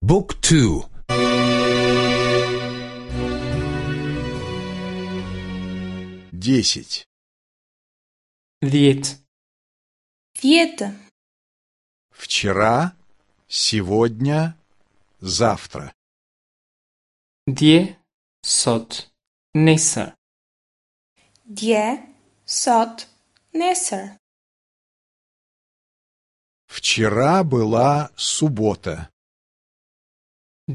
บุ๊กทู10 10. Вчера, сегодня, завтра. Dje, sot, nesër. Dje, sot, nesër. Вчера была суббота.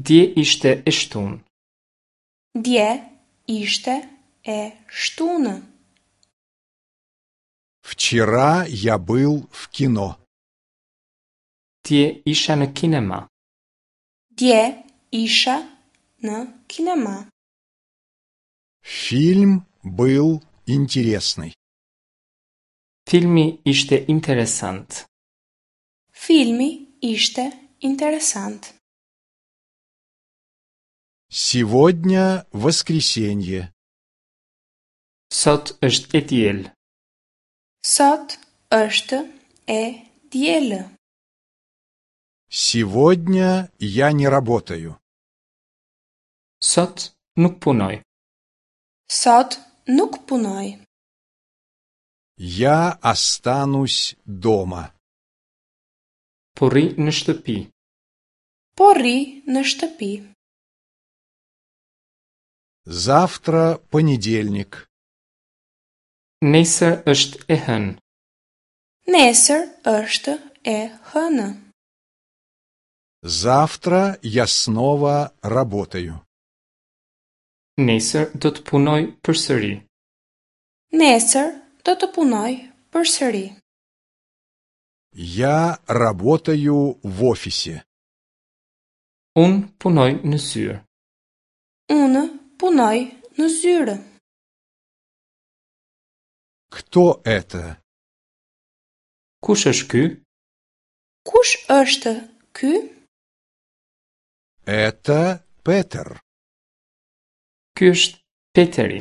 Dje ishte e shtunë. Dje ishte e shtunë. Вчера я был в кино. Dje isha në kinema. Dje isha në kinema. Фильм был интересный. Filmi ishte interesant. Filmi ishte interesant. Сегодня воскресенье. Sot është e diel. Sot është e dielë. Сегодня я не работаю. Sot nuk punoj. Sot nuk punoj. Я останусь дома. Po rri në shtëpi. Po rri në shtëpi. Завтра понедельник. Nesër është e hënë. Nesër është e hënë. Завтра я снова работаю. Nesër do të punoj përsëri. Nesër do të punoj përsëri. Я работаю в офисе. Unë punoj në zyrë. Unë punoj në zyrë. Кто это? Kush është ky? Kush është ky? Это Петер. Ky është Peteri.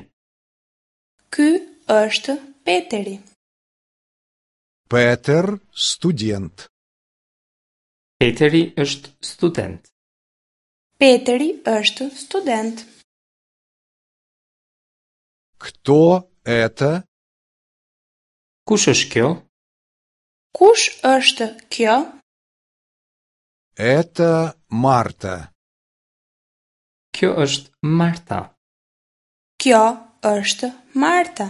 Ky është Peteri. Петер – студент. Peteri është student. Peteri është student. Кто это? Kush është kjo? Kush është kjo? Это Марта. Kjo është Marta. Kjo është Marta.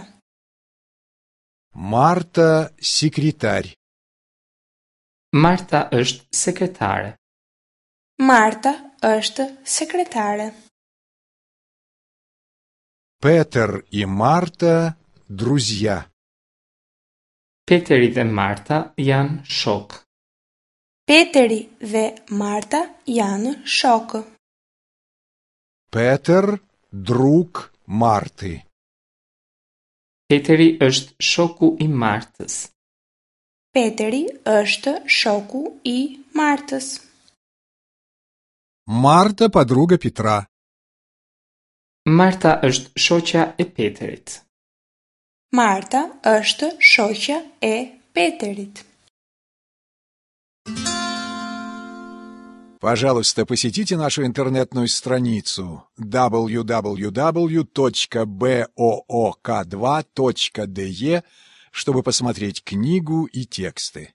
Марта – секретарь. Marta është sekretare. Marta është sekretare. Петер и Марта – друзья. Peteri dhe Marta janë shokë. Peteri dhe Marta janë shokë. Петер – друг Марты. Peteri është shoku i Martës. Peteri është shoku i Martës. Марта – подруга Петра. Marta është shoqja e Peterit. Marta është shoqja e Peterit. Пожалуйста, посетите нашу интернетную страницу www.book2.de, чтобы посмотреть книгу и тексты.